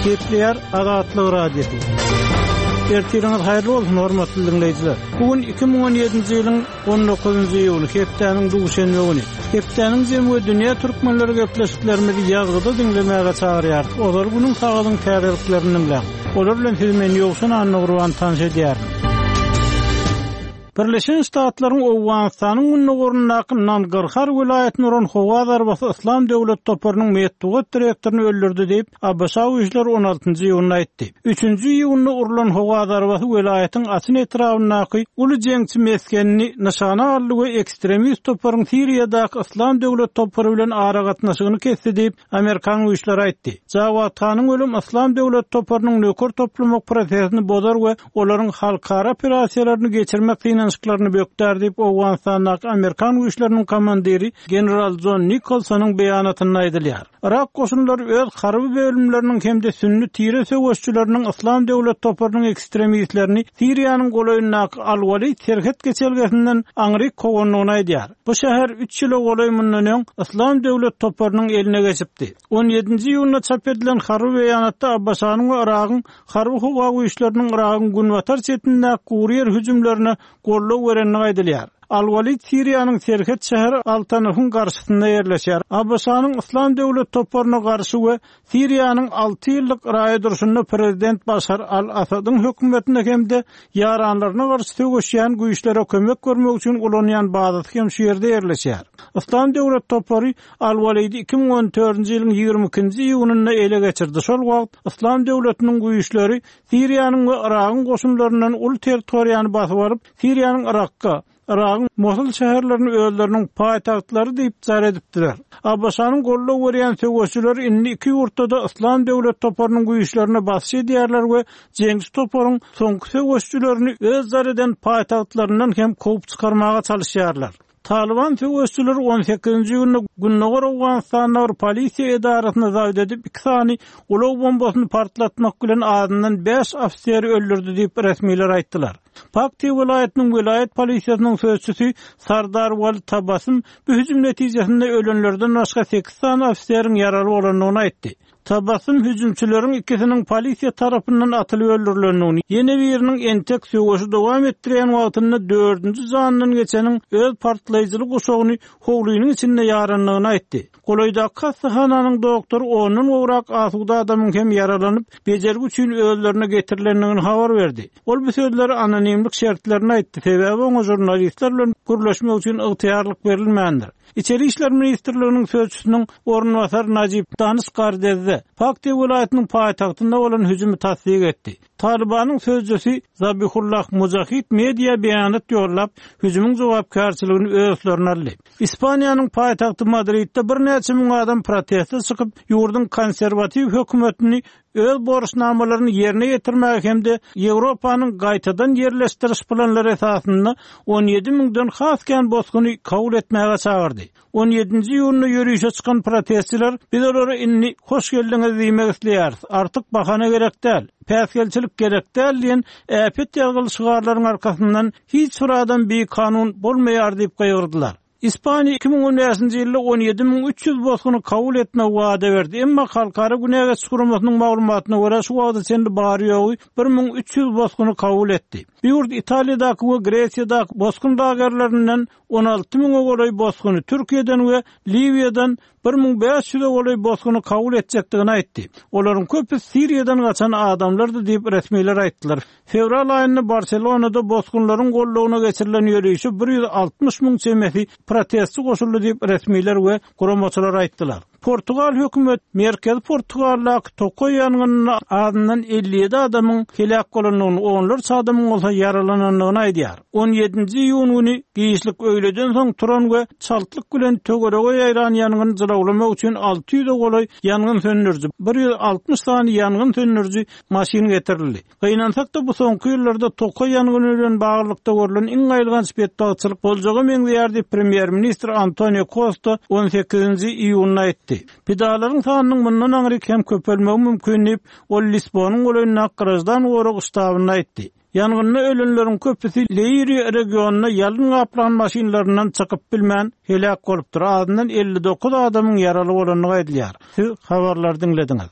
Gepleýär Azatlyk Radiosy. Ertiriňiz haýyrly bolsun, hormatly diňleýjiler. Bu gün 2017-nji ýylyň 19-njy iýuly, hepdäniň duşenbe güni. Hepdäniň jemi we dünýä türkmenleri gepleşiklerimizi ýazgyda diňlemäge çagyrýarys. Ozal günüň sagadyň täzeliklerini diňläň. Olar bilen sizi men Ýowşan Annagurban tanyş edýärin. Birleşen Ştatlaryň Owganystanyň gündogaryndaky Nangarhar welaýatyna uran howa zarbasy Yslam döwlet toparynyň metbugat direktoryny öldürdi diýip, ABŞ güýçleri on altynjy iýunda aýtdy. Üçünji iýunda urlan howa zarbasy welaýatyň Açyn etrabyndaky uly jeňçi mesgenini nyşana aldy we ekstremist toparyň Siriýadaky Yslam döwlet topary bilen aragatnaşygyny kesdi diýip, Amerikan güýçleri aýtdy. Jawad Hanyň ölüm Yslam döwlet toparynyň nöker toplamak prosesini bozar we olaryň halkara operasiýalaryny geçirmek synanyşyklaryny bökdär diýip, Owganystandaky amerikan güýçleriniň komandiri general Jon Nikolsonyň beýanatynda aýdylýar. Yrak goşunlary öz harby bölümleriniň hem-de sünni tire söweşçileriniň Yslam döwlet toparynyň ekstremistlerini Siriýanyň golaýyndaky Al-Walid serhet geçelgesinden aňryk kowandygyny aýdýar. Bu şäher üç ýyla golaý mundan öň Yslam döwlet toparynyň eline geçipdi. On ýedinji iýunda çap edilen harby beýanatda ABŞ-nyň we Yragyň harby-howa güýçleriniň Yragyň günbatar çetindäki gury ýer hüjümlerine goldaw berendigi aýdylýar. Al-Walid Siriýanyň serhet şäheri Al-Tanufyň garşysynda ýerleşýär. ABŞ-nyň Yslam döwlet toparyna garşy we Siriýanyň alty ýyllyk raýat urşunda prezident Başar al-Assadyň hökümetine hem-de ýaranlaryna garşy söweşýän güýçlere kömek bermek üçin ulanýan bazasy hem şu ýerde ýerleşýär. Yslam döwlet topary Al-Walidi 2014-nji ýylyň 22-nji iýunynda ele geçirdi. Şol wagt Yslam döwletiniň güýçleri Siriýanyň we Yragyň goşunlaryndan uly territoriýany basyp alyp, Siriýanyň Yrakka, Yragyň Mosul şäherlerini özleriniň paýtagtlary diýip jar edipdiler. ABŞ-nyň goldaw berýän söweşijileri indi iki ýurtda-da Yslam döwlet toparynyň güýçlerine basyş edýärler we jeňçi toparyň soňky söweşijilerini öz jar eden paýtagtlaryndan hem kowup çykarmaga çalyşýarlar. Talyban söweşijileri on sekizinji iýunda gündogar Owganystanda bir polisiýa edarasyny zabt edip, iki sany ulag bombasyny partlatmak bilen azyndan bäş ofiseri öldürdi diýip, resmiler aýtdylar. Paktiýa welaýatynyň welaýat polisiýasynyň sözçüsi Sardar Wali Tabasym bu hüjüm netijesinde ölenlerden başga sekiz sany ofiseriň ýaraly bolandygyny aýtdy. Tabasym hüjümçileriň ikisiniň polisiýa tarapyndan atylyp öldürilendigini, ýene biriniň entek söweşi dowam etdirýän wagtynda dördünji janyndan geçeniň öz partlaýjyly guşagyny howlynyň içinde ýarandygyny aýtdy. Golaýdaky hassahananyň doktory ondan gowrak asuda adamyň hem ýaralanyp, bejergi üçin özlerine getirilendigini habar berdi. Ol bu sözleri anonimlik şertlerinde aýtdy, sebäbi oňa žurnalistler bilen gürleşmek üçin ygtyýarlyk berilmändir. Içeri işler ministrliginiň sözçüsiniň orunbasary Najib Danyş Gardezde Paktiýa welaýatynyň paýtagtynda bolan hüjümi tassyk etdi. Talybanyň sözçüsi Zabihullah Mujahid media beýanat ýollap, hüjümiň jogapkärçiligini öz üstlerine aldy. Ispaniýanyň paýtagty Madridde birnäçe müň adam proteste çykyp, ýurduň konserwatiw hökümetini öz borçnamalaryny ýerine ýetirmäge hem-de Ýewropanyň gaýtadan ýerleşdiriş planlary esasynda 17 müňden has kän bosguny kabul etmäge çagyrdy. On ýedinji iýunda ýörişe çykan protestçiler Biz olara indi hoş geldiňiz diýmek isleýäris, artyk bahana gerek däl, päsgelçilik gerek däl diýen äpet ýazgyly şygarlaryň arkasyndan hiç bir adam bikanun bolmaýar diýip gygyrdylar. Ispaniýa 2015-nji ýylda 17 300 bosguny kabul etmegi wada berdi, emma Halkara Günä geçiş guramasynyň maglumatyna görä, şu wagta çenli bary-ýogy 1300 bosguny kabul etdi. Bu ýurt Italiýadaky we Gresiýadaky bosgun lagerlerinden 16 müňe golaý bosguny Türkiýeden we Liwiýadan 1500-e golaý bosguny kabul etjekdigini aýtdy. Olaryň köpüsi Siriýadan gaçan adamlardy diýip, resmiler aýtdylar. Fewral aýynda Barselonada bosgunlaryň goldawyna geçirilen ýörişe 160 müň çemesi protestçi goşuldy diýip, resmiler we guramaçylar aýtdylar. Portugal hökümet merkezi Portugaldaky tokaý ýangynynda azyndan 57 adamyň heläk bolandygyny, onlarça adamyň bolsa ýaralanandygyny aýdýar. On ýedinji iýun güni giçlik öýleden soň turan we çaltlyk bilen töwerege ýaýran ýangyny jylawlamak üçin 600-e golaý ýangyn söndüriji, 160 sany ýangyn söndüriji maşyn getirildi. Gynansak-da, bu soňky ýyllarda tokaý ýangyny bilen baglylykda görlen iň aýylganç betbagtçylyk boljaga meňzeýär diýip, premýer-ministr Antonio Kosta on sekizinji iýunda aýtdy. Pidalaryň sanynyň mundan aňryk hem köpelmegi mümkin diýip, ol Lisbonyň golaýyndaky graždan gorag ştabynda aýtdy. Ýangynda ölenleriň köpüsi Leýriýa regionynda ýalyn gaplan maşynlaryndan çykyp bilmän, heläk bolupdyr, azyndan 59 adamyň ýaraly bolandygy aýdylýar. Siz habarlary diňlediňiz.